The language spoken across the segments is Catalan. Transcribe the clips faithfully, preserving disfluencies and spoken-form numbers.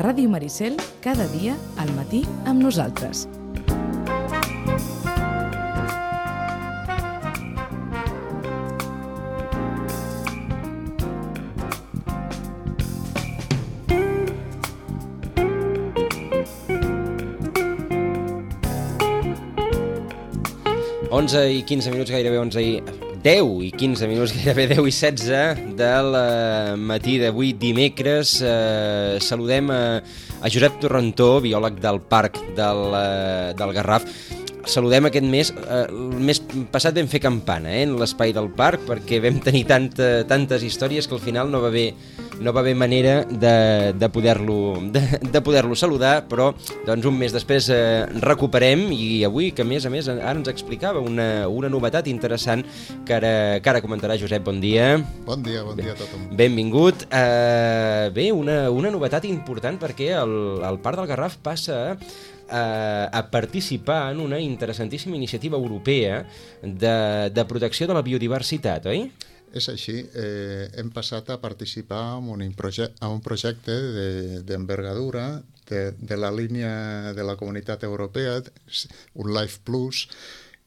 Ràdio Maricel, cada dia, al matí, amb nosaltres. onze i quinze minuts, gairebé onze i... deu i quinze minuts, gairebé deu i setze del eh, matí d'avui, dimecres. Eh, saludem a, a Josep Torrentó, biòleg del Parc del, eh, del Garraf. Saludem aquest mes, eh, el mes passat vam fer campana eh, en l'espai del parc, perquè vam tenir tanta, tantes històries que al final no va haver, no va haver manera de, de poder-lo de, de poder-lo saludar, però doncs, un mes després eh, recuperem, i avui, que a més a més ara ens explicava una, una novetat interessant que ara, que ara comentarà Josep. Bon dia. Bon dia, bon dia a tothom. Benvingut. Eh, bé, una, una novetat important, perquè el, el Parc del Garraf passa a a participar en una interessantíssima iniciativa europea de, de protecció de la biodiversitat, oi? És així. Eh, hem passat a participar en un, projecte, en un projecte d'envergadura de, de la línia de la Comunitat Europea, un Life Plus,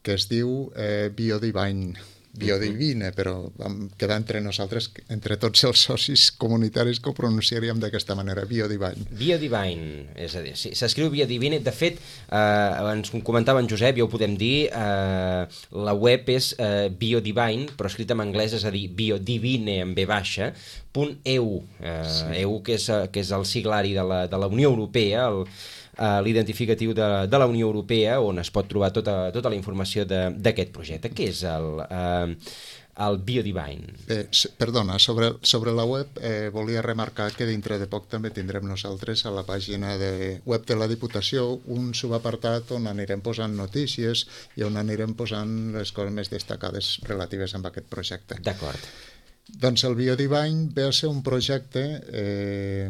que es diu eh, Biodivine. Biodivine, però vam quedar entre nosaltres, entre tots els socis comunitaris, que ho pronunciaríem d'aquesta manera, Biodivine. Biodivine, és a dir, sí, s'escriu Biodivine. De fet, eh, ens comentava en Josep, ja ho podem dir, eh, la web és eh, Biodivine, però escrit en anglès, és a dir, Biodivine en B baixa, punt E U, eh, sí. E U que és, que és el siglari de la, de la Unió Europea, el Uh, l'identificatiu de, de la Unió Europea, on es pot trobar tota, tota la informació d'aquest projecte. Què és el, uh, el Biodivine? Bé, perdona, sobre, sobre la web eh, volia remarcar que dintre de poc també tindrem nosaltres a la pàgina de web de la Diputació un subapartat on anirem posant notícies i on anirem posant les coses més destacades relatives amb aquest projecte. D'acord. Doncs el Biodivine ve a ser un projecte eh,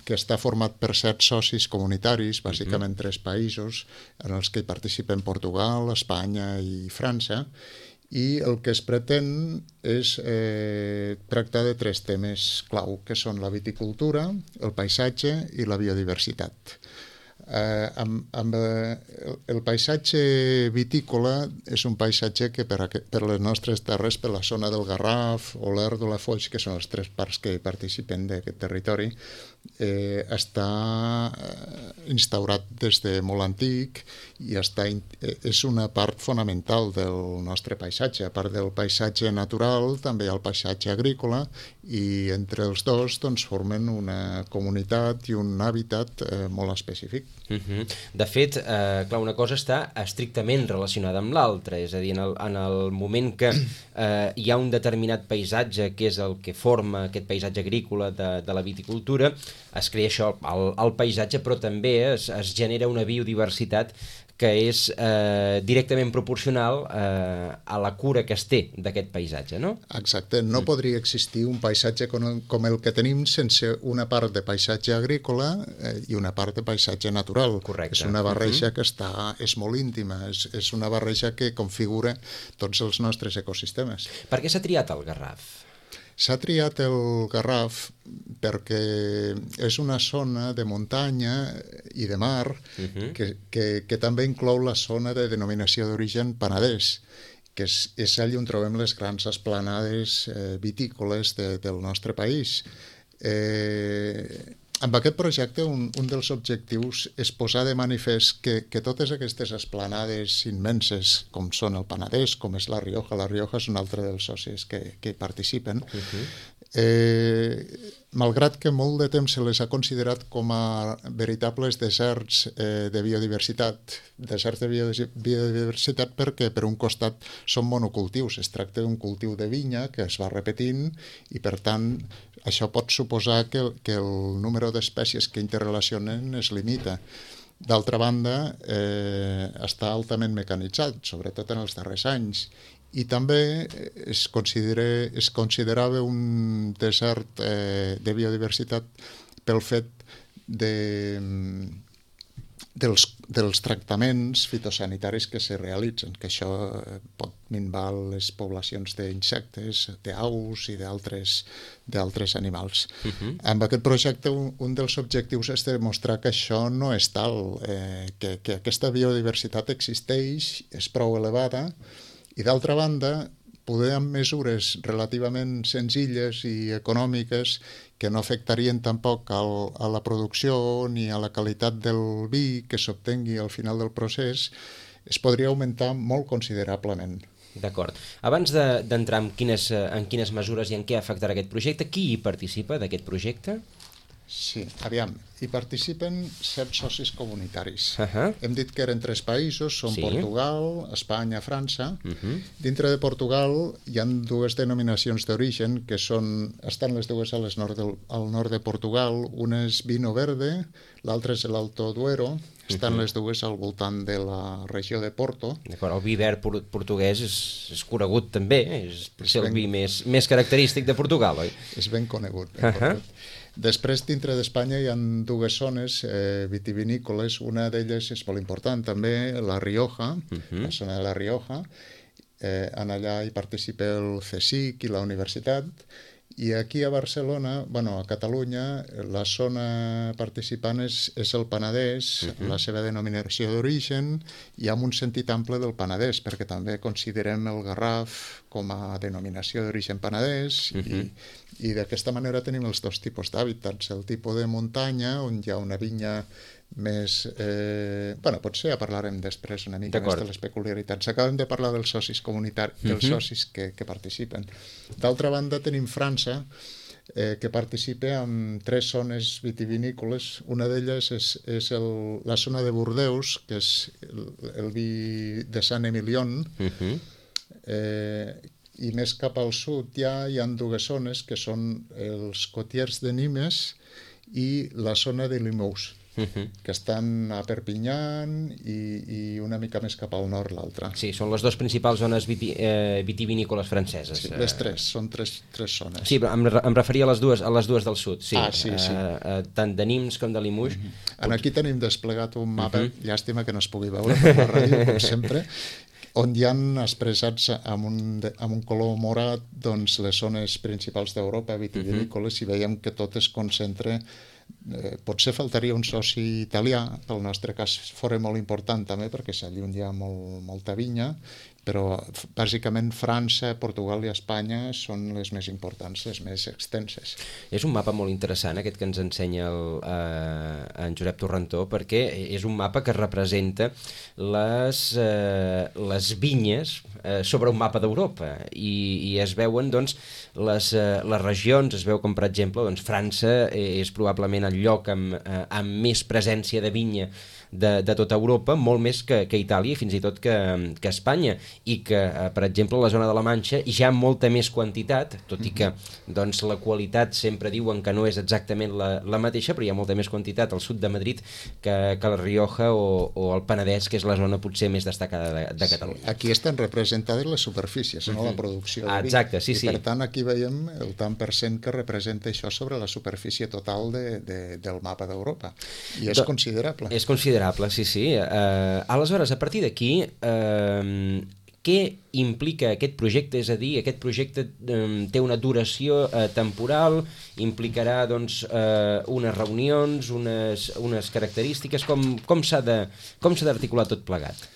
que està format per set socis comunitaris, bàsicament uh-huh. tres països, en els que hi participen Portugal, Espanya i França, i el que es pretén és eh, tractar de tres temes clau, que són la viticultura, el paisatge i la biodiversitat. Eh, amb, amb eh, el paisatge vitícola és un paisatge que per, a, per les nostres terres, per la zona del Garraf o l'Er de la Foix, que són els tres parcs que participen d'aquest territori, eh, està instaurat des de molt antic i està, és una part fonamental del nostre paisatge. A part del paisatge natural, també hi ha el paisatge agrícola, i entre els dos doncs, formen una comunitat i un hàbitat eh, molt específic. Uh-huh. De fet, eh, clar, una cosa està estrictament relacionada amb l'altra, és a dir, en el, en el moment que eh, hi ha un determinat paisatge que és el que forma aquest paisatge agrícola de, de la viticultura, es crea això, el, el paisatge, però també es, es genera una biodiversitat que és eh, directament proporcional eh, a la cura que es té d'aquest paisatge, no? Exacte. No mm. podria existir un paisatge com, com el que tenim sense una part de paisatge agrícola eh, i una part de paisatge natural. Correcte. És una barreja uh-huh. que està, és molt íntima, és, és una barreja que configura tots els nostres ecosistemes. Per què s'ha triat el Garraf? S'ha triat el Garraf perquè és una zona de muntanya i de mar uh-huh. que, que, que també inclou la zona de denominació d'origen Penedès, que és, és allà on trobem les grans esplanades eh, vitícoles de, del nostre país. Eh, amb aquest projecte un, un dels objectius és posar de manifest que, que totes aquestes esplanades immenses, com són el Penedès, com és la Rioja, la Rioja és un altre dels socis que, que hi participen, uh-huh. eh, malgrat que molt de temps se les ha considerat com a veritables deserts eh, de biodiversitat, deserts de biodiversitat perquè per un costat són monocultius, es tracta d'un cultiu de vinya que es va repetint i per tant això pot suposar que, que el número d'espècies que interrelacionen es limita. D'altra banda, eh, està altament mecanitzat, sobretot en els darrers anys, i també es, considera, es considerava un desert eh, de biodiversitat pel fet de, dels, dels tractaments fitosanitaris que se realitzen, que això pot minvar les poblacions d'insectes, d'aus i d'altres d'altres animals. Uh-huh. Amb aquest projecte un, un dels objectius és demostrar que això no és tal, eh, que, que aquesta biodiversitat existeix, és prou elevada, i d'altra banda poder amb mesures relativament senzilles i econòmiques que no afectarien tampoc al, a la producció ni a la qualitat del vi que s'obtengui al final del procés, es podria augmentar molt considerablement. D'acord. Abans d'entrar de, en, quines, en quines mesures i en què afectarà aquest projecte, qui hi participa d'aquest projecte? Sí, aviam, hi participen set socis comunitaris. Uh-huh. Hem dit que eren tres països, són sí. Portugal, Espanya, França. Uh-huh. Dintre de Portugal hi ha dues denominacions d'origen que són, estan les dues a les nord del, al nord de Portugal, una és Vino Verde, l'altra és l'Alto Duero, estan uh-huh. les dues al voltant de la regió de Porto. D'acord, el vi verd portuguès és, és conegut també, és, és el ben... vi més, més característic de Portugal, oi? És ben conegut. Ben uh-huh. conegut. Després, dintre d'Espanya hi ha dues zones eh, vitivinícoles, una d'elles és molt important també, la Rioja, uh-huh. la zona de la Rioja, eh, en allà hi participa el CSIC i la universitat, i aquí a Barcelona, bueno, a Catalunya, la zona participant és, és el Penedès, uh-huh. la seva denominació d'origen, i amb un sentit ample del Penedès, perquè també considerem el Garraf com a denominació d'origen penedès, uh-huh. i i d'aquesta manera tenim els dos tipus d'hàbitats, el tipus de muntanya, on hi ha una vinya més... Eh... Bueno, potser ja parlarem després una mica més de les peculiaritats. Acabem de parlar dels socis comunitaris, uh-huh. dels socis que, que participen. D'altra banda tenim França, eh, que participa en tres zones vitivinícoles. Una d'elles és, és el, la zona de Bordeus, que és el, el vi de Sant-Emilion, uh-huh. eh, i més cap al sud ja hi ha dues zones que són els Cotiers de Nimes i la zona de Limoux, uh-huh. que estan a Perpinyà i, i una mica més cap al nord l'altra. Sí, són les dues principals zones viti, eh, vitivinícoles franceses. Sí, les tres, són tres, tres zones. Sí, però em, em referia a les dues, a les dues del sud, sí. Ah, sí, sí. Eh, eh, tant de Nimes com de Limoux. Uh-huh. En aquí tenim desplegat un mapa, uh-huh. llàstima que no es pugui veure per la ràdio, com sempre, on hi han expressats amb un, amb un color morat doncs, les zones principals d'Europa vitivinícoles, uh-huh. i veiem que tot es concentra. Eh, potser faltaria un soci italià, pel nostre cas fora molt important també, perquè allí on hi ha molt, molta vinya, però bàsicament França, Portugal i Espanya són les més importants, les més extenses. És un mapa molt interessant aquest que ens ensenya el, eh, en Josep Torrentó, perquè és un mapa que representa les, eh, les vinyes eh, sobre un mapa d'Europa, i, i es veuen doncs, les, eh, les regions, es veu com per exemple doncs, França és probablement el lloc amb, eh, amb més presència de vinya de, de tota Europa, molt més que, que Itàlia i fins i tot que, que Espanya, i que, eh, per exemple, la zona de la Manxa hi ha molta més quantitat, tot i que doncs, la qualitat sempre diuen que no és exactament la, la mateixa, però hi ha molta més quantitat al sud de Madrid que, que la Rioja o, o el Penedès, que és la zona potser més destacada de, de Catalunya. Sí, aquí estan representades les superfícies, no la producció de vi. Exacte, sí, sí. I per tant aquí veiem el tant per cent que representa això sobre la superfície total de, de, del mapa d'Europa. I és Do, considerable. És considerable, sí, sí. Uh, aleshores, a partir d'aquí, uh, què implica aquest projecte? És a dir, aquest projecte um, té una duració uh, temporal, implicarà doncs, uh, unes reunions, unes, unes característiques, com, com s'ha de, com s'ha d'articular tot plegat?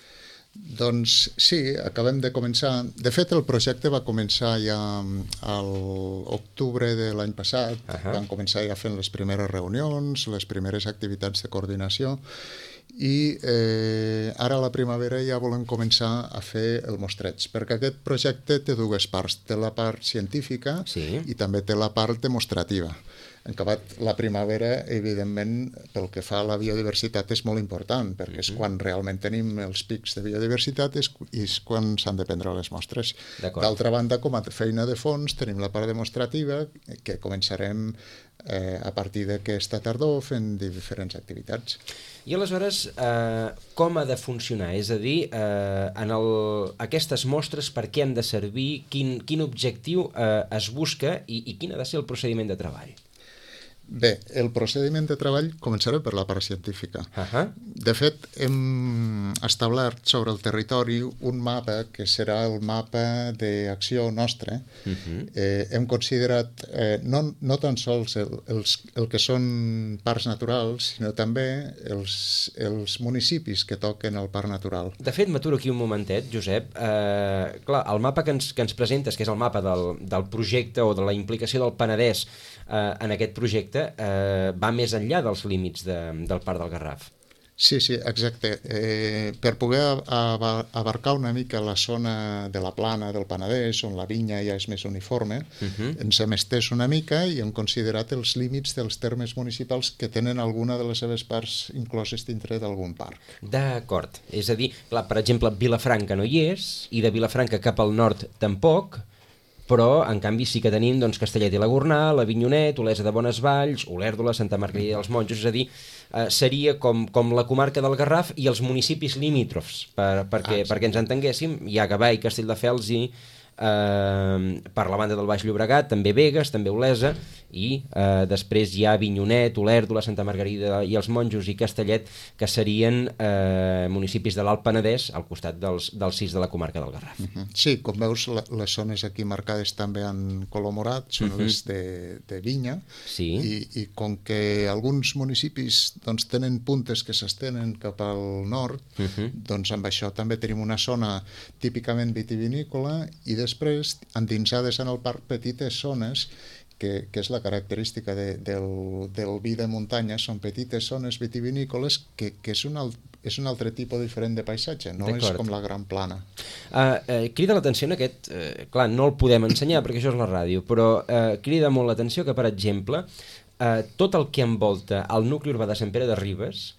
Doncs sí, acabem de començar. De fet, el projecte va començar ja a l'octubre de l'any passat. Uh-huh. Vam començar ja fent les primeres reunions, les primeres activitats de coordinació, i eh, ara a la primavera ja volem començar a fer el mostreig, perquè aquest projecte té dues parts. Té la part científica, sí, i també té la part demostrativa. En acabat la primavera, evidentment, pel que fa a la biodiversitat és molt important, perquè uh-huh. és quan realment tenim els pics de biodiversitat i és, és quan s'han de prendre les mostres. D'altra banda, com a feina de fons, tenim la part demostrativa, que començarem eh, a partir d'aquesta tardor fent diferents activitats. I aleshores, eh, com ha de funcionar? És a dir, eh, en el, aquestes mostres per què han de servir, quin, quin objectiu eh, es busca i, i quin ha de ser el procediment de treball? Bé, el procediment de treball començaré per la part científica. Uh -huh. De fet, hem establert sobre el territori un mapa que serà el mapa d'acció nostre. Uh -huh. eh, hem considerat eh, no, no tan sols el, els, el que són parcs naturals, sinó també els, els municipis que toquen el parc natural. De fet, m'aturo aquí un momentet, Josep. Eh, clar, el mapa que ens, que ens presentes, que és el mapa del, del projecte o de la implicació del Penedès eh, en aquest projecte, eh, va més enllà dels límits de, del Parc del Garraf. Sí, sí, exacte. Eh, per poder abarcar una mica la zona de la plana del Penedès, on la vinya ja és més uniforme, uh-huh. ens hem estès una mica i hem considerat els límits dels termes municipals que tenen alguna de les seves parts incloses dintre d'algun parc. D'acord. És a dir, clar, per exemple, Vilafranca no hi és, i de Vilafranca cap al nord tampoc, però en canvi sí que tenim doncs, Castellet i la Gornal, Avinyonet, Olesa de Bonesvalls, Olèrdola, Santa Margarida dels Monjos, és a dir, eh, seria com, com la comarca del Garraf i els municipis limítrofs, per, perquè, ah, sí. perquè ens entenguéssim, hi ha Gavà i Castelldefels i eh, per la banda del Baix Llobregat, també Begues, també Olesa, i eh, després hi ha Avinyonet, Olèrdola, Santa Margarida i els Monjos i Castellet, que serien eh, municipis de l'Alt Penedès al costat dels, dels sis de la comarca del Garraf. Uh-huh. Sí, com veus, la, les zones aquí marcades també en color morat són uh-huh. les de, de vinya, sí. i, i com que alguns municipis doncs, tenen puntes que s'estenen cap al nord, uh-huh. doncs amb això també tenim una zona típicament vitivinícola i després, endinsades en el parc, petites zones Que, que és la característica de, del, del vi de muntanya, són petites zones vitivinícoles que, que és, un alt, és un altre tipus diferent de paisatge, no és com la gran plana. Uh, uh, crida l'atenció en aquest, uh, clar, no el podem ensenyar perquè això és la ràdio, però uh, crida molt l'atenció que, per exemple, uh, tot el que envolta el nucli urbà de Sant Pere de Ribes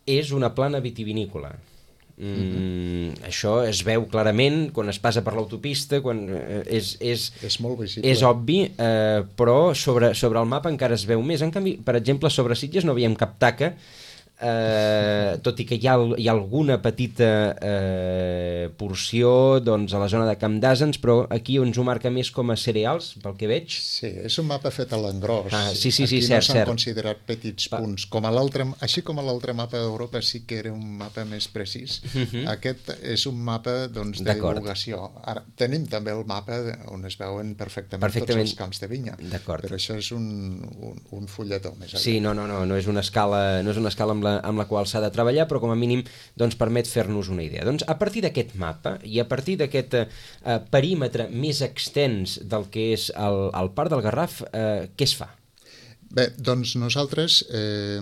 és una plana vitivinícola. Mm, mm-hmm. Això es veu clarament quan es passa per l'autopista, quan eh, és, és, és molt visible. És obvi, eh, però sobre, sobre el mapa encara es veu més. En canvi, per exemple, sobre Sitges no veiem cap taca, eh, tot i que hi ha, hi ha alguna petita eh, porció doncs, a la zona de Camp d'Àsens, però aquí ens ho marca més com a cereals, pel que veig. Sí, és un mapa fet a l'engròs. Ah, sí, sí, sí, aquí cert, no s'han cert. considerat petits Pa. punts. Com a així com a l'altre mapa d'Europa sí que era un mapa més precís. Uh-huh. Aquest és un mapa doncs, de divulgació. Ara, tenim també el mapa on es veuen perfectament, perfectament. tots els camps de vinya, però això és un, un, un fulletó més allà. Sí, no, no, no, no és una escala, no és una escala amb la, amb la qual s'ha de treballar, però com a mínim doncs, permet fer-nos una idea. Doncs a partir d'aquest mapa i a partir d'aquest eh, perímetre més extens del que és el, el Parc del Garraf, eh, què es fa? Bé, doncs nosaltres, eh,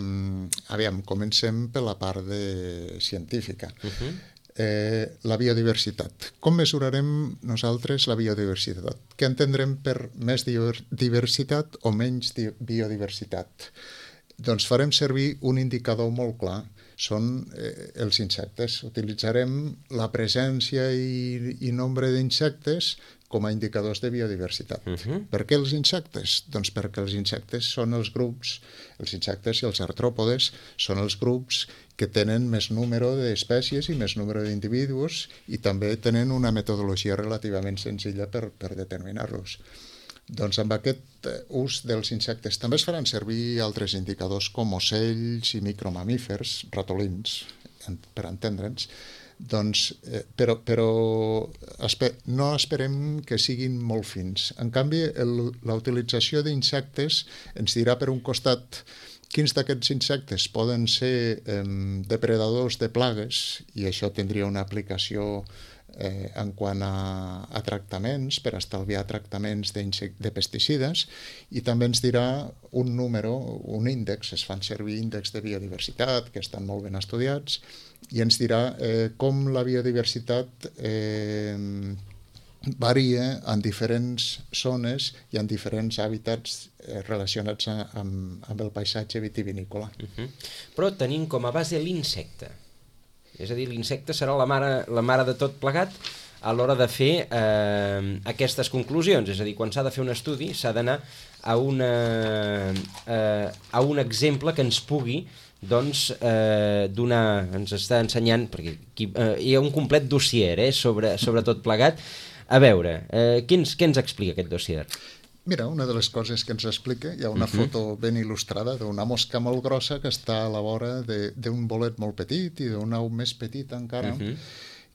aviam, comencem per la part de científica. Uh-huh. Eh, la biodiversitat. Com mesurarem nosaltres la biodiversitat? Què entendrem per més diversitat o menys biodiversitat? Doncs farem servir un indicador molt clar, són eh, els insectes. Utilitzarem la presència i, i nombre d'insectes com a indicadors de biodiversitat. Uh-huh. Per què els insectes? Doncs perquè els insectes són els grups, els insectes i els artròpodes són els grups que tenen més número d'espècies i més número d'individus i també tenen una metodologia relativament senzilla per, per determinar-los. Doncs amb aquest ús dels insectes també es faran servir altres indicadors com ocells i micromamífers, ratolins, per entendre'ns, doncs, eh, però, però esper, no esperem que siguin molt fins. En canvi, el, la utilització d'insectes ens dirà per un costat quins d'aquests insectes poden ser eh, depredadors de plagues i això tindria una aplicació Eh, en quant a, a tractaments, per estalviar tractaments de pesticides, i també ens dirà un número, un índex, es fan servir índexs de biodiversitat, que estan molt ben estudiats, i ens dirà eh, com la biodiversitat eh, varia en diferents zones i en diferents hàbitats eh, relacionats a, amb, amb el paisatge vitivinícola. Uh-huh. Però tenim com a base l'insecte. És a dir, l'insecte serà la mare, la mare de tot plegat a l'hora de fer eh, aquestes conclusions. És a dir, quan s'ha de fer un estudi s'ha d'anar a, una, eh, a un exemple que ens pugui doncs, eh, donar, ens està ensenyant, perquè aquí, eh, hi ha un complet dossier eh, sobre, sobre tot plegat. A veure, eh, què, ens, què ens explica aquest dossier? Mira, una de les coses que ens explica, hi ha una uh -huh. foto ben il·lustrada d'una mosca molt grossa que està a la vora d'un bolet molt petit i d'una au més petit encara, uh -huh.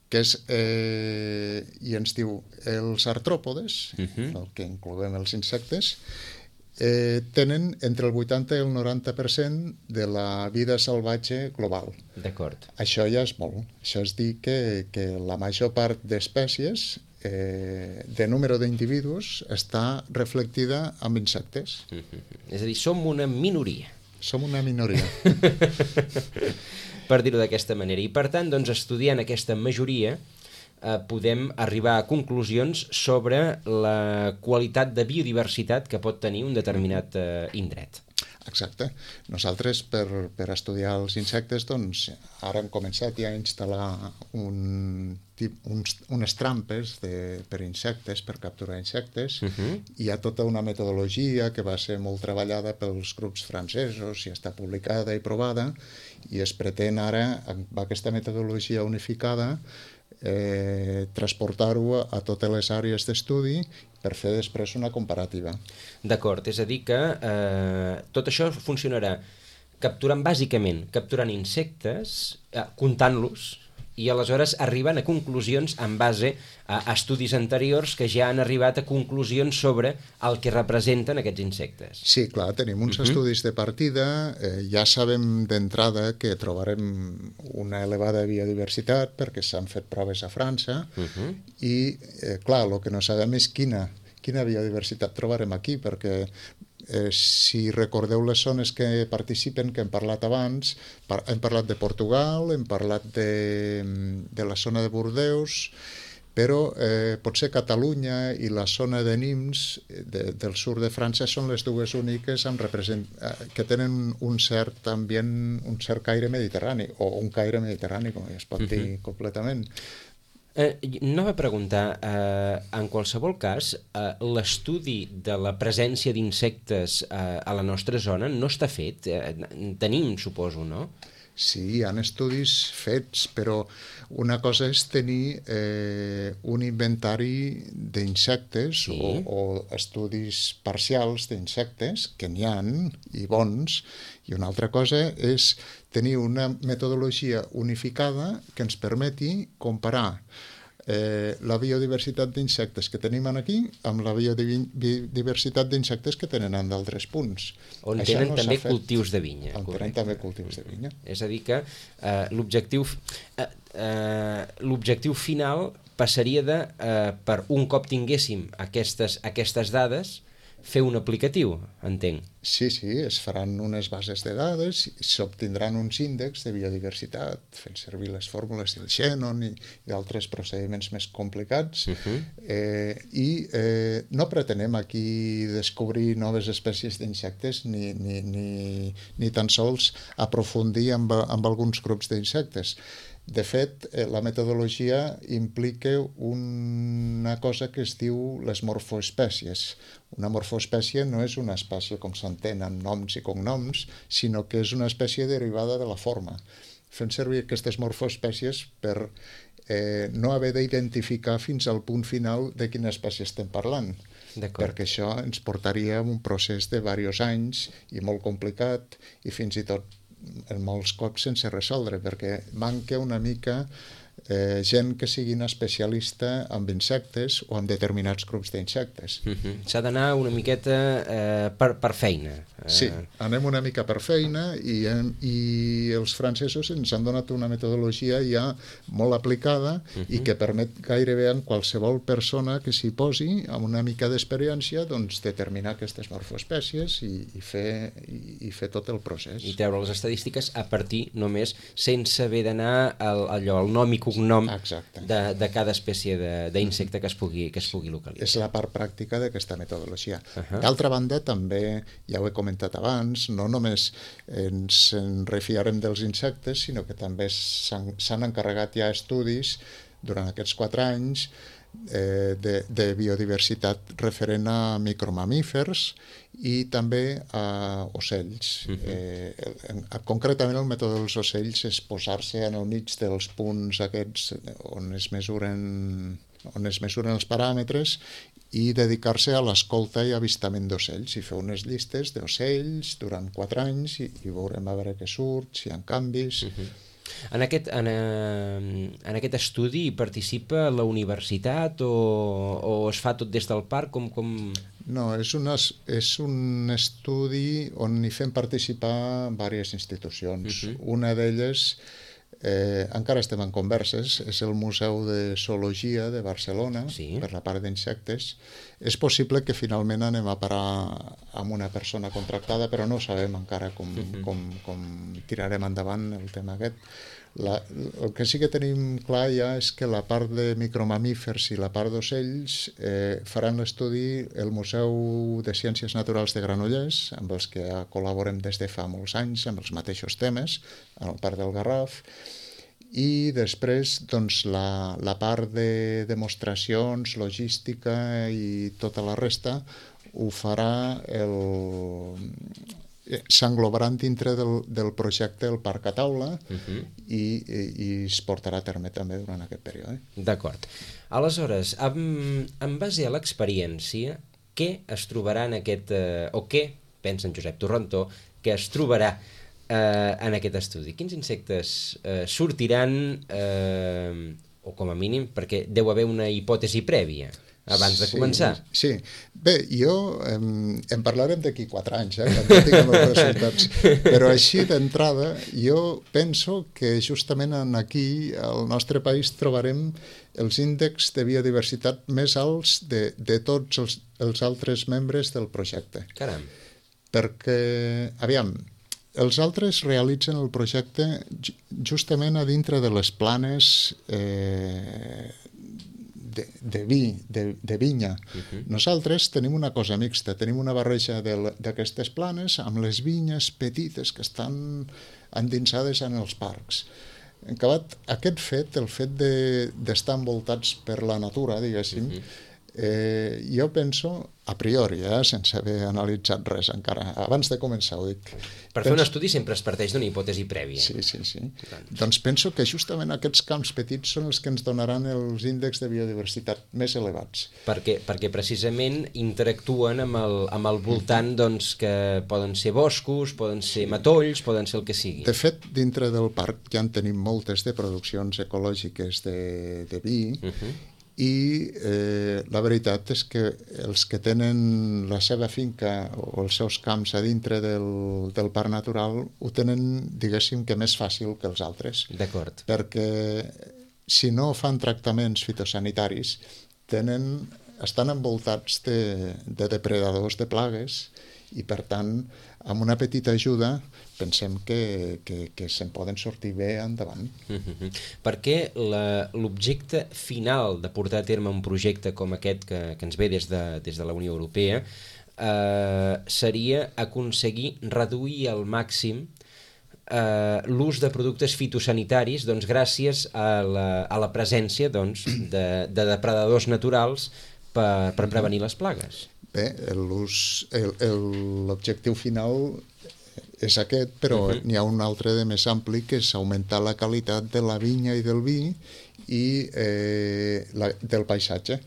que és, eh, i ens diu, els artròpodes, uh -huh. el que incloem els insectes, eh, tenen entre el vuitanta i el noranta per cent de la vida salvatge global. D'acord. Això ja és molt. Això és dir que, que la major part d'espècies eh, de número d'individus està reflectida amb insectes. Uh -huh. És a dir, som una minoria. Som una minoria. Per dir-ho d'aquesta manera. I per tant, doncs, estudiant aquesta majoria, eh, podem arribar a conclusions sobre la qualitat de biodiversitat que pot tenir un determinat eh, indret. Exacte. Nosaltres, per, per estudiar els insectes, doncs, ara hem començat ja a instal·lar un, uns, unes trampes de, per insectes, per capturar insectes. Uh-huh. Hi ha tota una metodologia que va ser molt treballada pels grups francesos i està publicada i provada, i es pretén ara, amb aquesta metodologia unificada, eh, transportar-ho a totes les àrees d'estudi per fer després una comparativa. D'acord, és a dir que eh, tot això funcionarà capturant, bàsicament, capturant insectes, eh, comptant-los, i aleshores arriben a conclusions en base a estudis anteriors que ja han arribat a conclusions sobre el que representen aquests insectes. Sí, clar, tenim uns uh-huh. estudis de partida, eh, ja sabem d'entrada que trobarem una elevada biodiversitat perquè s'han fet proves a França uh-huh. i, eh, clar, el que no sabem és quina, quina biodiversitat trobarem aquí, perquè Eh, si recordeu les zones que participen, que hem parlat abans, par hem parlat de Portugal, hem parlat de, de la zona de Bordeus, però eh, potser Catalunya i la zona de Nimes de, del sud de França són les dues úniques amb represent que tenen un cert ambient, un cert caire mediterrani, o un caire mediterrani, com es pot dir uh-huh. completament. Eh, anava a preguntar, eh, en qualsevol cas, eh, l'estudi de la presència d'insectes eh, a la nostra zona no està fet? Eh, tenim, suposo, no? Sí, hi ha estudis fets, però una cosa és tenir eh, un inventari d'insectes sí. o, o estudis parcials d'insectes, que n'hi ha, i bons, i una altra cosa és tenir una metodologia unificada que ens permeti comparar eh, la biodiversitat d'insectes que tenim aquí amb la biodiversitat d'insectes que tenen en d'altres punts. On Això tenen no també cultius de vinya. On tenen també cultius de vinya. És a dir que eh, l'objectiu eh, eh, l'objectiu final passaria de, eh, per un cop tinguéssim aquestes, aquestes dades, fer un aplicatiu, entenc. Sí, sí, es faran unes bases de dades, s'obtindran uns índexs de biodiversitat, fent servir les fórmules del Shannon i, i altres procediments més complicats, uh-huh. eh, i eh, no pretenem aquí descobrir noves espècies d'insectes ni, ni, ni, ni tan sols aprofundir amb, amb alguns grups d'insectes. De fet, la metodologia implica una cosa que es diu les morfoespècies. Una morfoespècie no és una espècie com s'entén amb noms i cognoms, sinó que és una espècie derivada de la forma. Fem servir aquestes morfoespècies per eh, no haver d'identificar fins al punt final de quina espècie estem parlant. Perquè això ens portaria a un procés de diversos anys i molt complicat i fins i tot en molts cops sense resoldre, perquè manca una mica eh, gent que siguin especialista en insectes o en determinats grups d'insectes. Uh-huh. S'ha d'anar una miqueta eh, per, per feina. Sí, anem una mica per feina i, i els francesos ens han donat una metodologia ja molt aplicada uh-huh. i que permet gairebé en qualsevol persona que s'hi posi amb una mica d'experiència doncs, determinar aquestes morfoespècies i, i, fer, i, i fer tot el procés. I treure les estadístiques a partir només sense haver d'anar al, allò, el nom i cognom de, de cada espècie d'insecte que es pugui, que es pugui localitzar. És la part pràctica d'aquesta metodologia. Uh-huh. D'altra banda, també, ja ho he comentat abans, no només ens en refiarem dels insectes, sinó que també s'han encarregat ja estudis durant aquests quatre anys eh, de, de biodiversitat referent a micromamífers i també a ocells. Uh-huh. eh, en, concretament el mètode dels ocells és posar-se en el mig dels punts aquests on es mesuren, on es mesuren els paràmetres i dedicar-se a l'escolta i avistament d'ocells, i fer unes llistes d'ocells durant quatre anys i, i veurem a veure què surt, si hi ha canvis. Uh-huh. En aquest, en, en aquest estudi hi participa la universitat o, o es fa tot des del parc? Com, com... No, és, una, és un estudi on hi fem participar diverses institucions. Uh-huh. Una d'elles, eh, encara estem en converses, és el Museu de Zoologia de Barcelona, sí, per la part d'insectes. És possible que finalment anem a parar amb una persona contractada, però no sabem encara com, uh-huh. com, com tirarem endavant el tema aquest. La, el que sí que tenim clar ja és que la part de micromamífers i la part d'ocells eh, faran l'estudi el Museu de Ciències Naturals de Granollers, amb els que col·laborem des de fa molts anys, amb els mateixos temes, en el Parc del Garraf, i després doncs, la, la part de demostracions, logística i tota la resta ho farà el... s'englobaran dintre del, del projecte el Parc a Taula uh-huh. i, i, i es portarà a terme també durant aquest període. D'acord. Aleshores, en, en base a l'experiència, què es trobarà en aquest... Eh, o què, pensa en Josep Torrentó, que es trobarà eh, en aquest estudi? Quins insectes eh, sortiran, eh, o com a mínim, perquè deu haver una hipòtesi prèvia abans de començar. Sí, sí. Bé, jo em, en parlarem d'aquí quatre anys, eh, quan tinguem els resultats, però així d'entrada jo penso que justament aquí al nostre país trobarem els índexs de biodiversitat més alts de, de tots els, els altres membres del projecte. Caram. Perquè, aviam, els altres realitzen el projecte justament a dintre de les planes eh, De, de vi, de, de vinya. Uh-huh. Nosaltres tenim una cosa mixta, tenim una barreja d'aquestes planes amb les vinyes petites que estan endinsades en els parcs. En acabat, aquest fet, el fet d'estar de, envoltats per la natura, diguéssim, uh-huh. eh, jo penso, a priori, eh, sense haver analitzat res encara, abans de començar ho dic. Per penso... fer un estudi sempre es parteix d'una hipòtesi prèvia. Sí, sí, sí. Doncs. doncs penso que justament aquests camps petits són els que ens donaran els índexs de biodiversitat més elevats. Perquè, perquè precisament interactuen amb el, amb el voltant, doncs, que poden ser boscos, poden ser matolls, poden ser el que sigui. De fet, dintre del parc ja en tenim moltes de produccions ecològiques de, de vi, uh-huh. i eh, la veritat és que els que tenen la seva finca o els seus camps a dintre del, del parc natural ho tenen, diguéssim, que més fàcil que els altres. D'acord. Perquè si no fan tractaments fitosanitaris, tenen, estan envoltats de, de depredadors de plagues i, per tant, amb una petita ajuda pensem que, que, que se'n poden sortir bé endavant. Uh-huh. Perquè l'objecte final de portar a terme un projecte com aquest que, que ens ve des de, des de la Unió Europea eh, seria aconseguir reduir al màxim eh, l'ús de productes fitosanitaris, doncs, gràcies a la, a la presència, doncs, de, de depredadors naturals per, per prevenir les plagues. Bé, l'objectiu final és aquest, però uh-huh. n'hi ha un altre de més ampli, que és augmentar la qualitat de la vinya i del vi i eh, la, del paisatge,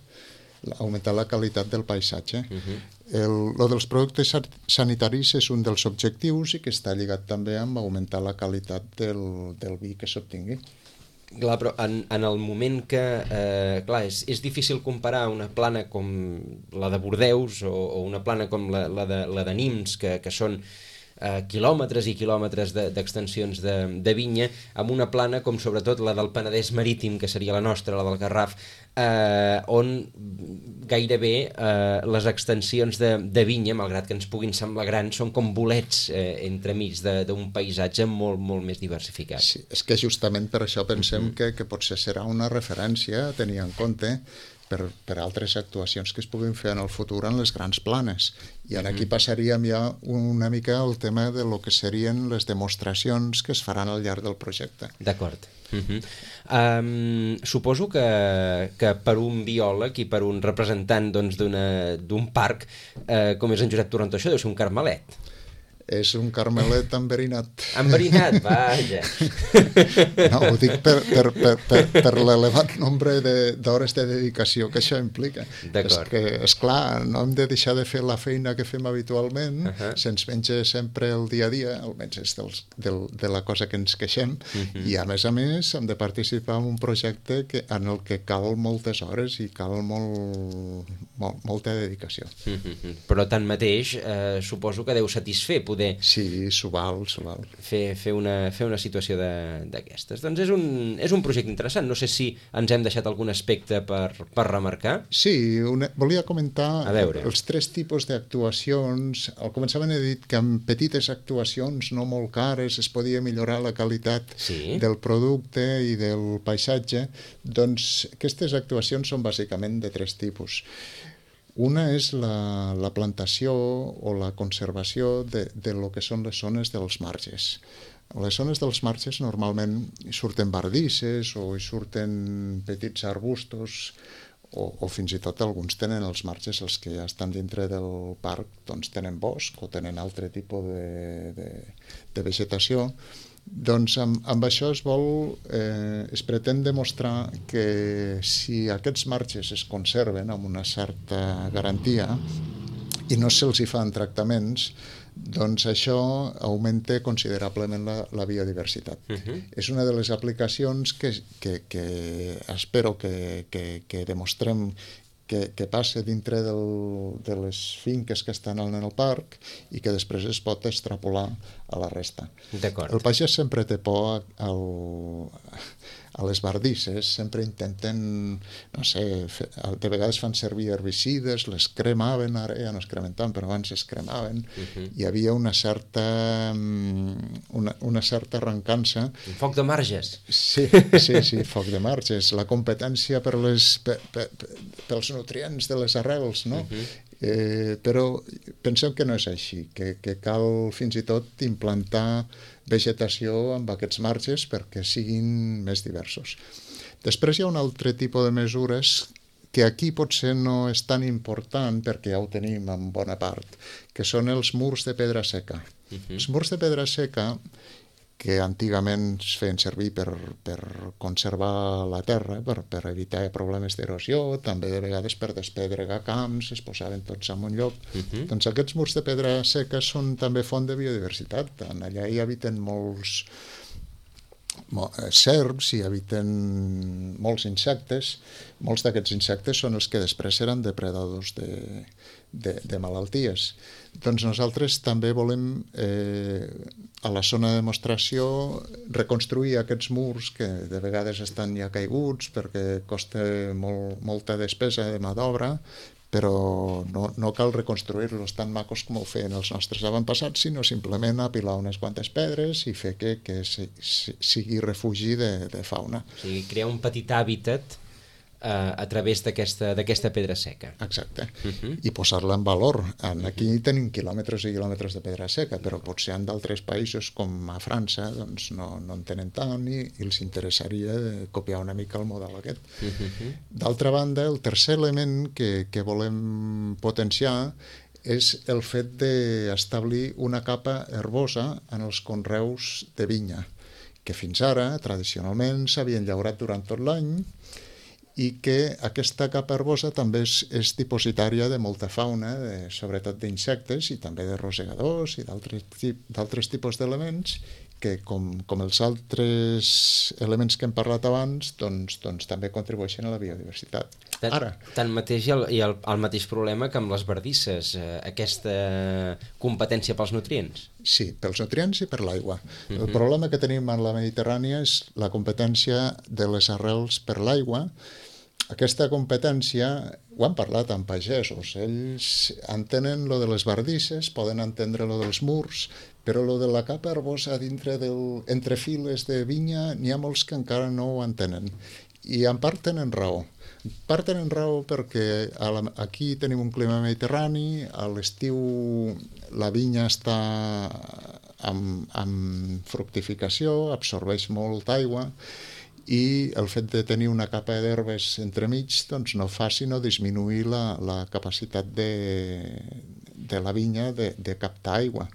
augmentar la qualitat del paisatge. Uh-huh. el, lo dels productes sanitaris és un dels objectius i que està lligat també amb augmentar la qualitat del, del vi que s'obtingui. Clar, però en, en el moment que... Eh, clar, és, és difícil comparar una plana com la de Bordeus o, o una plana com la, la, de, la de Nims, que, que són eh, quilòmetres i quilòmetres d'extensions de, de vinya, amb una plana com sobretot la del Penedès Marítim, que seria la nostra, la del Garraf, eh, on gairebé eh, les extensions de, de vinya, malgrat que ens puguin semblar grans, són com bolets eh, entremig d'un paisatge molt, molt més diversificat. Sí, és que justament per això pensem uh-huh. que, que potser serà una referència a tenir en compte per, per altres actuacions que es puguin fer en el futur en les grans planes. I en aquí passaríem ja una mica al tema de lo que serien les demostracions que es faran al llarg del projecte. D'acord. Uh-huh. um, suposo que, que per un biòleg i per un representant doncs, d'un parc eh, com és en Josep Torrentó, això deu ser un carmelet. És un carmelet enverinat. Enverinat, vaja. No, ho dic per, per, per, per, per l'elevat nombre d'hores de, de dedicació que això implica. D'acord. És que, esclar, no hem de deixar de fer la feina que fem habitualment, uh -huh. se'ns menja sempre el dia a dia, almenys és dels, del, de la cosa que ens queixem, uh -huh. i a més a més hem de participar en un projecte que, en el que cal moltes hores i cal molt, molt, molta dedicació. Uh -huh. Però tanmateix, eh, suposo que deu satisfer poder sí, s'ho val, s'ho val. Fer, fer, una, fer una situació d'aquestes. Doncs és un, és un projecte interessant. No sé si ens hem deixat algun aspecte per, per remarcar. Sí, una, volia comentar els tres tipus d'actuacions. Al començament he dit que amb petites actuacions no molt cares es podia millorar la qualitat sí. del producte i del paisatge. Doncs aquestes actuacions són bàsicament de tres tipus. Una és la, la plantació o la conservació de, de lo que són les zones dels marges. A les zones dels marges normalment hi surten bardisses o hi surten petits arbustos o, o fins i tot alguns tenen els marges, els que ja estan dintre del parc, doncs tenen bosc o tenen altre tipus de, de, de vegetació. Doncs amb, amb això es vol, eh, es pretén demostrar que si aquests marges es conserven amb una certa garantia i no se'ls hi fan tractaments, doncs això augmenta considerablement la, la biodiversitat. Uh-huh. És una de les aplicacions que, que, que espero que, que, que demostrem que, que passa dintre del, de les finques que estan en el parc i que després es pot extrapolar a la resta. D'acord. El pagès sempre té por al, a les bardisses, sempre intenten, no sé, fe, de vegades fan servir herbicides, les cremaven, ara ja no es cremen tant, però abans es cremaven, uh-huh. Hi havia una certa una, una certa arrencança. Un foc de marges. Sí, sí, sí, foc de marges. La competència per les, per, per, pels nutrients de les arrels, no? Uh-huh. Eh, però pensem que no és així, que, que cal fins i tot implantar vegetació amb aquests marges perquè siguin més diversos. Després hi ha un altre tipus de mesures que aquí potser no és tan important perquè ja ho tenim en bona part, que són els murs de pedra seca. Uh-huh. Els murs de pedra seca, que antigament es feien servir per, per conservar la terra, per, per evitar problemes d'erosió, també de vegades per despedregar camps, es posaven tots en un lloc. Uh-huh. Doncs aquests murs de pedra seca són també font de biodiversitat. Allà hi habiten molts serps, hi habiten molts insectes. Molts d'aquests insectes són els que després seran depredadors de, de, de malalties. Doncs nosaltres també volem, eh, a la zona de demostració, reconstruir aquests murs que de vegades estan ja caiguts perquè costa molt, molta despesa de mà d'obra, però no, no cal reconstruir-los tan macos com ho feien els nostres avantpassats, sinó simplement apilar unes quantes pedres i fer que, que si, si, sigui refugi de, de fauna. O sigui, crear un petit hàbitat a través d'aquesta pedra seca. Exacte. Uh-huh. I posar-la en valor. Aquí uh-huh. tenim quilòmetres i quilòmetres de pedra seca, però potser en d'altres països com a França doncs no, no en tenen tant i, i els interessaria copiar una mica el model aquest. Uh-huh. D'altra banda, el tercer element que, que volem potenciar és el fet d'establir una capa herbosa en els conreus de vinya, que fins ara, tradicionalment, s'havien llaurat durant tot l'any i que aquesta capa herbosa també és, és dipositària de molta fauna, de, sobretot d'insectes i també de rosegadors i d'altres tipus d'elements que, com, com els altres elements que hem parlat abans, doncs, doncs també contribueixen a la biodiversitat. Tant, Ara. Tanmateix hi ha, el, hi ha el, el mateix problema que amb les bardisses, eh, aquesta competència pels nutrients. Sí, pels nutrients i per l'aigua. Uh-huh. El problema que tenim en la Mediterrània és la competència de les arrels per l'aigua. Aquesta competència, ho han parlat amb pagesos, ells entenen lo de les bardisses, poden entendre lo dels murs, però lo de la capa herbosa dintre del, entre files de vinya n'hi ha molts que encara no ho entenen. I en part tenen raó. En part tenen raó perquè a la, aquí tenim un clima mediterrani, a l'estiu la vinya està amb, amb fructificació, absorbeix molta aigua, i el fet de tenir una capa d'herbes entremig doncs no fa sinó disminuir la, la capacitat de, de la vinya de, de captar aigua.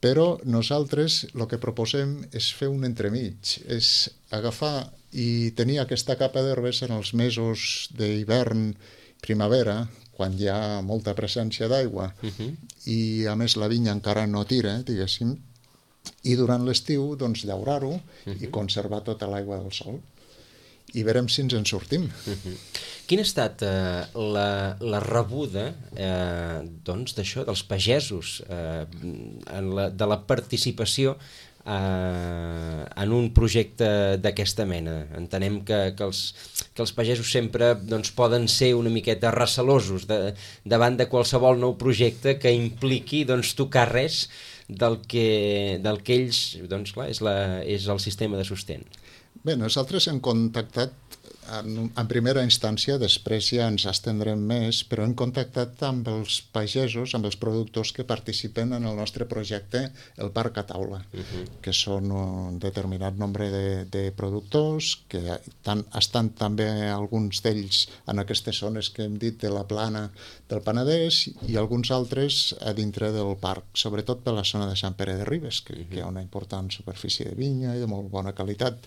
Però nosaltres el que proposem és fer un entremig, és agafar i tenir aquesta capa d'herbes en els mesos d'hivern, primavera, quan hi ha molta presència d'aigua, uh-huh. i a més la vinya encara no tira, diguéssim, i durant l'estiu doncs, llaurar-ho uh-huh. i conservar tota l'aigua del sol. I veurem si ens en sortim. Uh-huh. Quina ha estat eh, la, la rebuda eh, doncs, d'això, dels pagesos, eh, en la, de la participació eh, en un projecte d'aquesta mena? Entenem que, que, els, que els pagesos sempre doncs, poden ser una miqueta recelosos de, davant de qualsevol nou projecte que impliqui doncs, tocar res del que, del que ells, doncs clar, és, la, és el sistema de sostén. Bé, nosaltres hem contactat en, en primera instància, després ja ens estendrem més, però hem contactat amb els pagesos, amb els productors que participen en el nostre projecte, el Parc a Taula, uh-huh. que són un determinat nombre de, de productors, que tan, estan també alguns d'ells en aquestes zones que hem dit de la plana del Penedès i alguns altres a dintre del parc, sobretot per la zona de Sant Pere de Ribes, que, uh-huh. que hi ha una important superfície de vinya i de molt bona qualitat.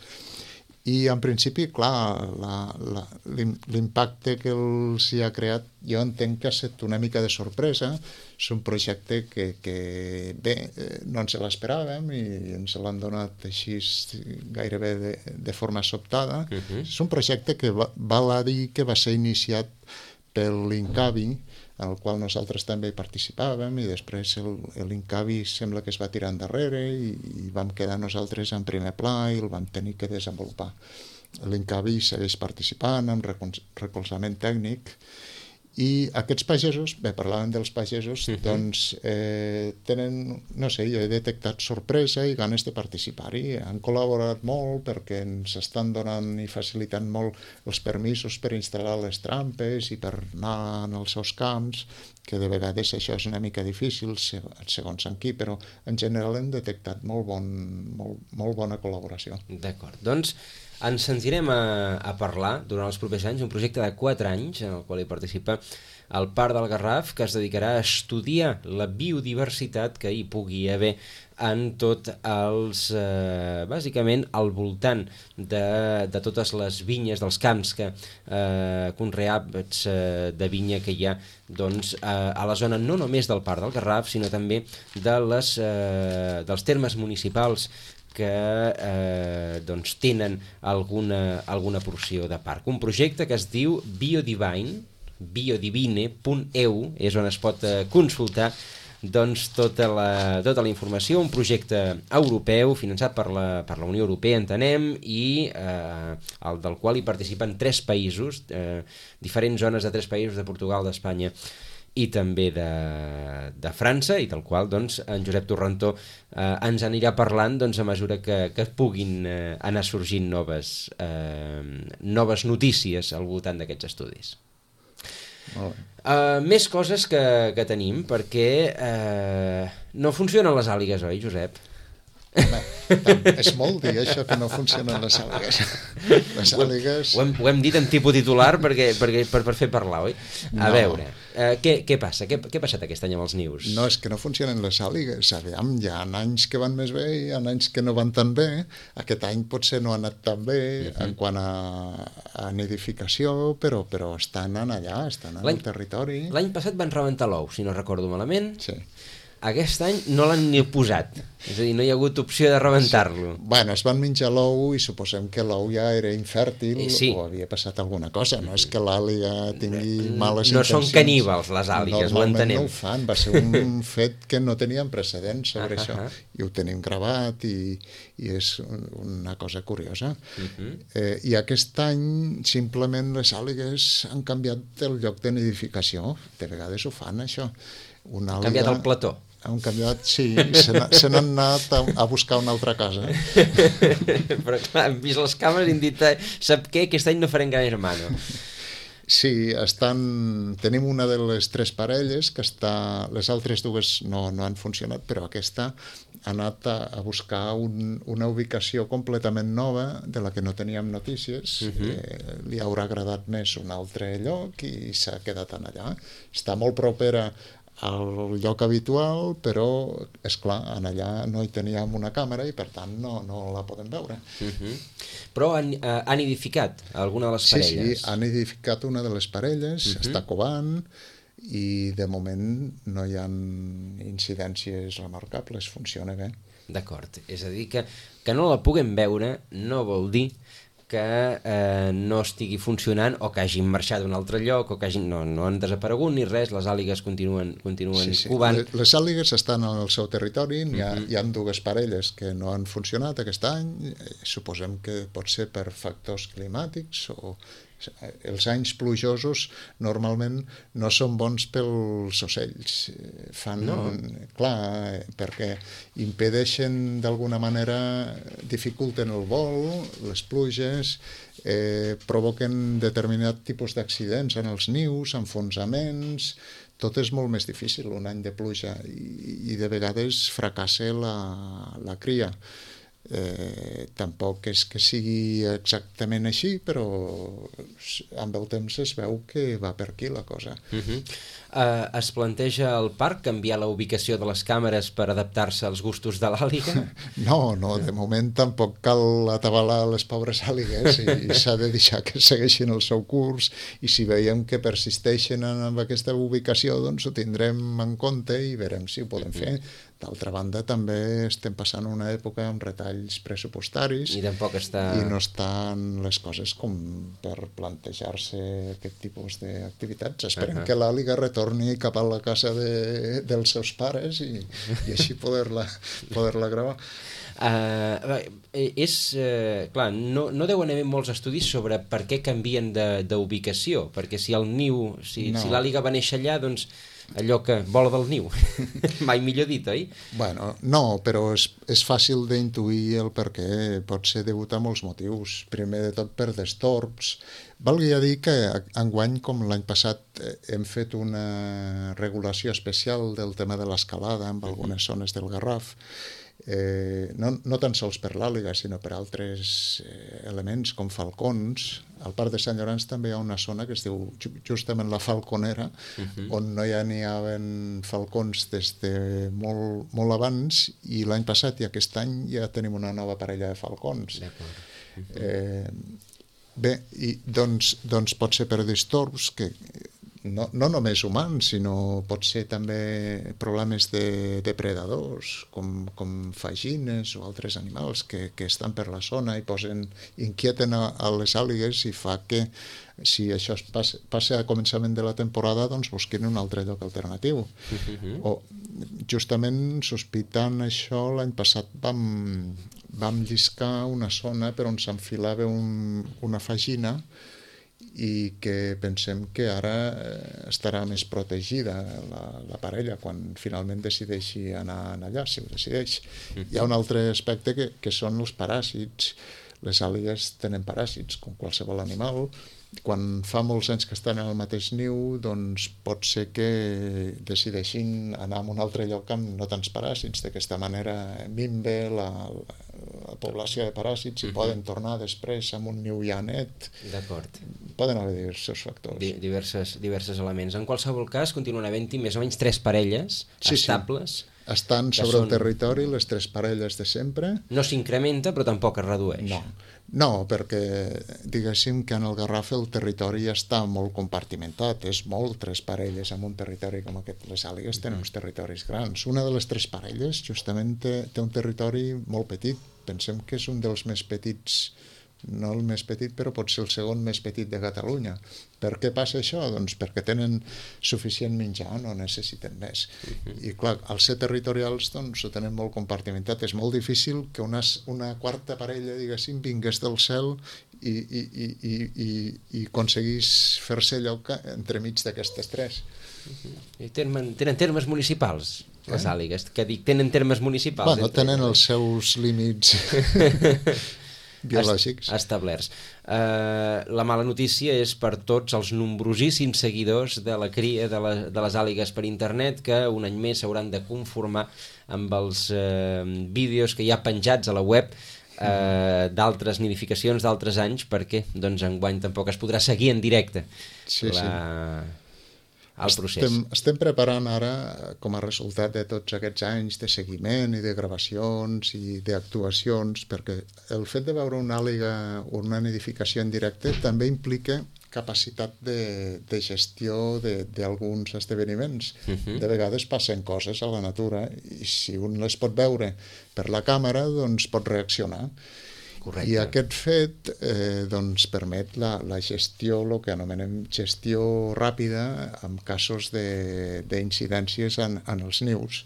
I en principi, clar, la, la, l'impacte que els hi ha creat, jo entenc que ha estat una mica de sorpresa. És un projecte que, que bé, no ens l'esperàvem i ens l'han donat així gairebé de, de forma sobtada. Uh-huh. És un projecte que va, val a dir que va ser iniciat per l'Incavi, en el qual nosaltres també hi participàvem, i després el, l'Incavi sembla que es va tirar endarrere i, i vam quedar nosaltres en primer pla i el vam tenir que desenvolupar. L'Incavi segueix participant amb recolzament tècnic i aquests pagesos, bé, parlàvem dels pagesos, uh-huh. doncs eh, tenen, no sé, jo he detectat sorpresa i ganes de participar-hi. Han col·laborat molt perquè ens estan donant i facilitant molt els permisos per instal·lar les trampes i per anar en els seus camps, que de vegades això és una mica difícil segons en qui, però en general hem detectat molt, bon, molt, molt bona col·laboració. D'acord, doncs ens sentirem a, a parlar durant els propers anys, un projecte de quatre anys en el qual hi participa el Parc del Garraf, que es dedicarà a estudiar la biodiversitat que hi pugui haver en tot els, eh, bàsicament, al voltant de, de totes les vinyes, dels camps que eh, conreats eh, de vinya que hi ha doncs, eh, a la zona no només del Parc del Garraf, sinó també de les, eh, dels termes municipals que eh, doncs tenen alguna, alguna porció de parc. Un projecte que es diu Biodivine, biodivine punt e u, és on es pot eh, consultar doncs, tota, la, tota la informació, un projecte europeu finançat per la, per la Unió Europea, entenem, i eh, el del qual hi participen tres països, eh, diferents zones de tres països, de Portugal, d'Espanya i també de, de França, i del qual doncs, en Josep Torrentó eh, ens anirà parlant doncs, a mesura que, que puguin eh, anar sorgint noves, eh, noves notícies al voltant d'aquests estudis. Molt bé. Uh, més coses que, que tenim, perquè uh, no funcionen les àligues, oi, Josep? Home, tant, és molt dir això que no funcionen les àligues. Les àligues... Ho hem, ho hem dit en tipus titular perquè, perquè, per, per fer parlar, oi? A no. veure, uh, què, què passa? Què, què ha passat aquest any amb els nius? No, és que no funcionen les àligues. Aviam, hi ha anys que van més bé i hi ha anys que no van tan bé. Aquest any potser no ha anat tan bé uh-huh. en quant a, a nidificació, però, però estan allà, estan en el territori. L'any passat van rebentar l'ou, si no recordo malament. Sí. Aquest any no l'han ni posat, és a dir, no hi ha hagut opció de rebentar-lo. Sí. Bueno, es van menjar l'ou i suposem que l'ou ja era infèrtil sí. o havia passat alguna cosa, no és que l'àliga tingui males no intencions. No són caníbals les àligues, ho entenem. Normalment no ho fan, va ser un fet que no teníem precedents sobre uh-huh. això, i ho tenim gravat i, i és una cosa curiosa. Uh-huh. Eh, I aquest any simplement les àligues han canviat el lloc de nidificació, de vegades ho fan això. Una Han canviat el plató. Han canviat, sí, se, se n'han anat a, a buscar una altra casa. Però clar, hem vist les càmeres i hem dit, sap què, aquest any no farem gran hermano. Sí, estan... tenim una de les tres parelles que està... Les altres dues no, no han funcionat, però aquesta ha anat a, a buscar un, una ubicació completament nova de la que no teníem notícies. Uh-huh. eh, li haurà agradat més un altre lloc i s'ha quedat allà. Està molt propera al lloc habitual, però, és clar, en allà no hi teníem una càmera i, per tant, no, no la podem veure. Uh-huh. Però han, uh, han nidificat alguna de les sí, parelles? Sí, sí, han nidificat una de les parelles, uh-huh. està covant, i de moment no hi ha incidències remarcables, funciona bé. D'acord, és a dir que, que no la puguem veure no vol dir que eh, no estigui funcionant o que hagin marxat d'un altre lloc o que hagin, no, no han desaparegut ni res, les àligues continuen, continuen sí, sí. covant. Les, les àligues estan al seu territori, hi ha, uh-huh. hi ha dues parelles que no han funcionat aquest any, suposem que pot ser per factors climàtics o els anys plujosos normalment no són bons pels ocells, fan, no. clar, perquè impedeixen d'alguna manera, dificulten el vol, les pluges, eh, provoquen determinat tipus d'accidents en els nius, enfonsaments, tot és molt més difícil un any de pluja i, i de vegades fracassa la, la cria. Eh, tampoc és que sigui exactament així, però amb el temps es veu que va per aquí la cosa. Uh-huh. uh, es planteja al parc canviar la ubicació de les càmeres per adaptar-se als gustos de l'àliga? No, no, de moment tampoc cal atabalar les pobres àligues i, i s'ha de deixar que segueixin el seu curs, i si veiem que persisteixen en aquesta ubicació, doncs ho tindrem en compte i veurem si ho podem uh-huh. fer. D'altra banda, també estem passant una època amb retalls pressupostaris i tampoc està... i no estan les coses com per plantejar-se aquest tipus d'activitats. Esperem uh-huh. que l'àliga retorni cap a la casa de, dels seus pares i, i així poder-la poder-la gravar. Uh, és, uh, clar, no, no deuen haver molts estudis sobre per què canvien d'ubicació, perquè si el niu, si, no. si l'àliga va néixer allà, doncs allò que vola del niu, mai millor dit, oi? Bueno, no, però és, és fàcil d'intuir el per què, pot ser degut a molts motius, primer de tot per destorbs. Valgui a dir que enguany, com l'any passat, hem fet una regulació especial del tema de l'escalada en algunes zones del Garraf, eh, no, no tan sols per l'àliga, sinó per altres eh, elements com falcons. Al Parc de Sant Llorenç també hi ha una zona que es diu justament la Falconera, uh-huh. on no hi ha n'hi haven falcons des de molt, molt abans, i l'any passat i aquest any ja tenim una nova parella de falcons. Uh-huh. Eh, bé, i doncs, doncs pot ser per disturbs que no, no només humans, sinó pot ser també problemes de depredadors, com, com fagines o altres animals que, que estan per la zona i posen, inquieten a, a les àligues i fa que, si això es passa, passa a començament de la temporada, doncs busquin un altre lloc alternatiu. Uh-huh. O justament sospitant això, l'any passat vam, vam lliscar una zona per on s'enfilava un, una fagina i que pensem que ara estarà més protegida la, la parella quan finalment decideixi anar allà, si ho decideix. Uh-huh. Hi ha un altre aspecte que, que són els paràsits. Les àligues tenen paràsits, com qualsevol animal. Quan fa molts anys que estan en el mateix niu, doncs pot ser que decideixin anar a un altre lloc amb no tants paràsits. D'aquesta manera minve la, la, la població de paràsits i uh-huh. poden tornar després amb un niu ja net. D'acord. Poden haver diversos factors. Di diverses, diversos elements. En qualsevol cas, continuen havent-hi més o menys tres parelles sí, estables. Sí. Estan sobre són... el territori les tres parelles de sempre. No s'incrementa, però tampoc es redueix. No. No, perquè diguéssim que en el Garraf el territori ja està molt compartimentat, és molt tres parelles en un territori com aquest. Les àligues tenen uns territoris grans. Una de les tres parelles justament té, té un territori molt petit. Pensem que és un dels més petits, no el més petit, però pot ser el segon més petit de Catalunya. Per què passa això? Doncs perquè tenen suficient menjar, no necessiten més. Uh-huh. I clar, al ser territorials doncs ho tenen molt compartimentat. És molt difícil que una, una quarta parella, diguéssim, vingués del cel i, i, i, i, i, i aconseguís fer-se lloc entremig d'aquestes tres. Uh-huh. I tenen, tenen termes municipals, les eh? àligues, que dic, tenen termes municipals. Bueno, tenen els seus límits biològics. Establerts. Uh, la mala notícia és per tots els nombrosíssims seguidors de la cria de, la, de les àligues per internet que un any més s'hauran de conformar amb els uh, vídeos que hi ha penjats a la web uh, d'altres nidificacions d'altres anys, perquè doncs enguany tampoc es podrà seguir en directe. Sí, la... sí. al procés. Estem, estem preparant ara, com a resultat de tots aquests anys de seguiment i de gravacions i d'actuacions, perquè el fet de veure una àliga o una nidificació en directe també implica capacitat de, de gestió d'alguns esdeveniments. Uh-huh. De vegades passen coses a la natura i si un les pot veure per la càmera, doncs pot reaccionar. Correcte. I aquest fet eh, doncs permet la, la gestió, el que anomenem gestió ràpida en casos d'incidències en, en els nius.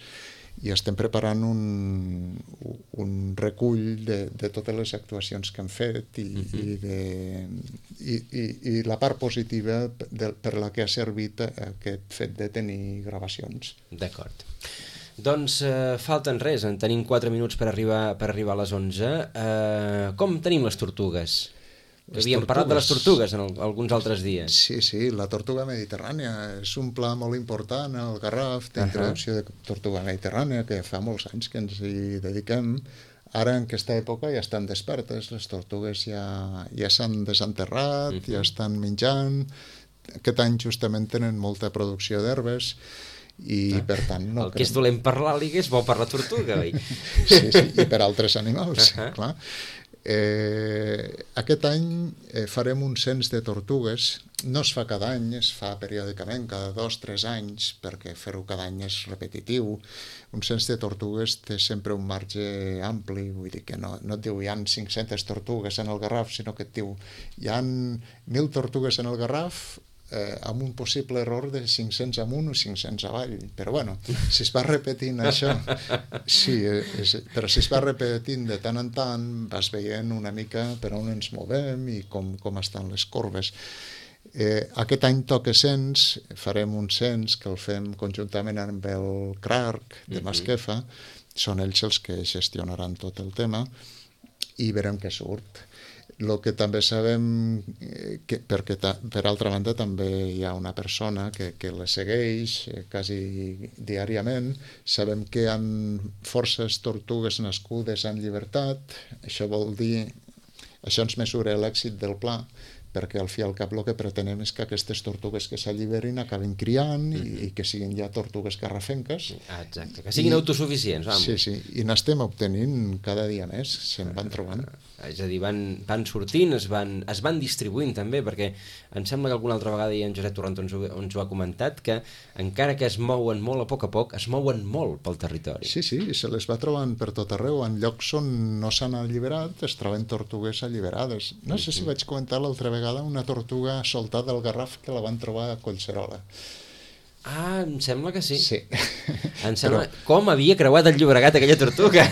I estem preparant un, un recull de, de totes les actuacions que hem fet i, uh-huh. i, de, i, i, i la part positiva de, per la que ha servit aquest fet de tenir gravacions. D'acord. Doncs eh, falten res, en tenim quatre minuts per arribar, per arribar a les onze. Eh, com tenim les tortugues? Les Havíem tortugues. Parlat de les tortugues en el, alguns altres dies. Sí, sí, la tortuga mediterrània és un pla molt important al Garraf d'introducció uh-huh. de tortuga mediterrània, que fa molts anys que ens hi dediquem. Ara, en aquesta època, ja estan despertes, les tortugues ja, ja s'han desenterrat, uh-huh. ja estan menjant. Aquest any justament tenen molta producció d'herbes i ah, per tant... No el que és dolent per l'àliga és bo per la tortuga, oi? Sí, sí, i per altres animals, uh-huh. clar. Eh, aquest any eh, farem un cens de tortugues. No es fa cada any, es fa periòdicament, cada dos o tres anys, perquè fer-ho cada any és repetitiu. Un cens de tortugues té sempre un marge ampli, vull dir que no, no et diu hi ha cinc-centes tortugues en el Garraf, sinó que et diu hi ha mil tortugues en el Garraf, Eh, amb un possible error de cinc-cents amunt o cinc-cents avall, però bueno, si es va repetint això, sí, és, però si es va repetint de tant en tant, vas veient una mica per on ens movem i com, com estan les corbes. Eh, aquest any toca cens, farem un cens que el fem conjuntament amb el C R A R C de Masquefa, són ells els que gestionaran tot el tema i veurem què surt. El que també sabem, que, perquè ta, per altra banda també hi ha una persona que, que la segueix eh, quasi diàriament, sabem que hi ha forces tortugues nascudes en llibertat, això vol dir, això ens mesura l'èxit del pla, perquè al fi i al cap el que pretenem és que aquestes tortugues que s'alliberin acabin criant i, i que siguin ja tortugues garrafenques. Ah, exacte, que siguin I, autosuficients. Vamos. Sí, sí, i n'estem obtenint cada dia més, se'n van trobant. És a dir, van, van sortint, es van, es van distribuint també, perquè em sembla que alguna altra vegada ja en Josep Torrentó ens ho, ens ho ha comentat, que encara que es mouen molt a poc a poc, es mouen molt pel territori. Sí, sí, se les va trobant per tot arreu, en llocs on no s'han alliberat es troben tortugues alliberades. No sé si vaig comentar l'altra vegada una tortuga soltada al Garraf que la van trobar a Collserola. Ah, em sembla que sí. Sí. Em sembla... Però... Com havia creuat el Llobregat aquella tortuga?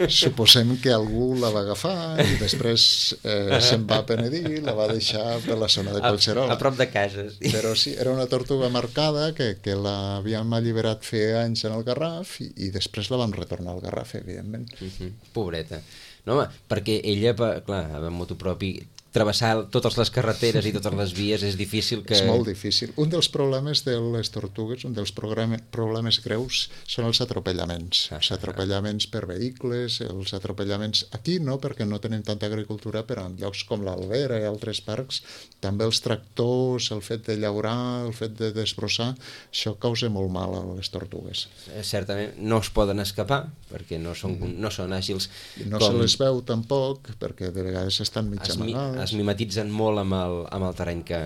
Suposem que algú la va agafar i després eh, se'n va penedir, la va deixar per la zona de Collserola. A, a prop de casa, sí. Però sí, era una tortuga marcada que, que l'havíem alliberat feia anys en el Garraf i, i després la vam retornar al Garraf, evidentment. Uh-huh. Pobreta. No, home, perquè ella, clar, amb moto propi, travessar totes les carreteres i totes les vies és difícil que... És molt difícil. Un dels problemes de les tortugues, un dels problemes greus són els atropellaments. Ah, els atropellaments per vehicles, els atropellaments... Aquí no, perquè no tenim tanta agricultura, però en llocs com l'Albera i altres parcs, també els tractors, el fet de llaurar, el fet de desbrossar, això causa molt mal a les tortugues. Certament no es poden escapar, perquè no són, no són àgils. I no com... se les veu tampoc, perquè de vegades estan mig amagades. Es mimetitzen molt amb el, amb el terreny que,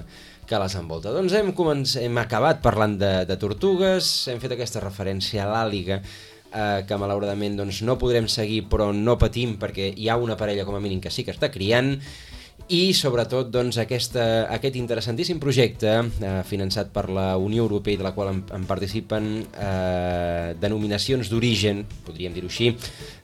que les envolta. Doncs hem, començ, hem acabat parlant de, de tortugues, hem fet aquesta referència a l'àliga, eh, que malauradament doncs, no podrem seguir, però no patim perquè hi ha una parella com a mínim que sí que està criant, i sobretot doncs, aquesta, aquest interessantíssim projecte eh, finançat per la Unió Europea i de la qual en, en participen eh, denominacions d'origen, podríem dir-ho així,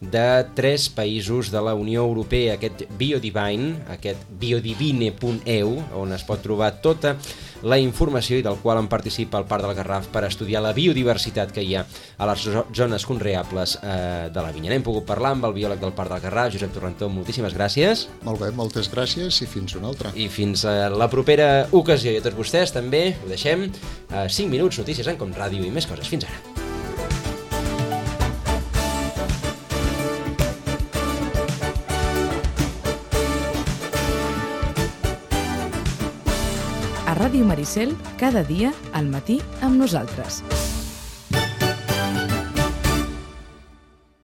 de tres països de la Unió Europea, aquest Biodivine, aquest biodivine punt e u, on es pot trobar tota la informació i del qual en participa el Parc del Garraf per estudiar la biodiversitat que hi ha a les zones conreables eh, de la vinya. N'hem pogut parlar amb el biòleg del Parc del Garraf, Josep Torrentó, moltíssimes gràcies. Molt bé, moltes gràcies i fins una altra. I fins a la propera ocasió. I a tots vostès també ho deixem. Eh, cinc minuts, notícies en Com Ràdio i més coses. Fins ara. A Ràdio Maricel, cada dia, al matí, amb nosaltres.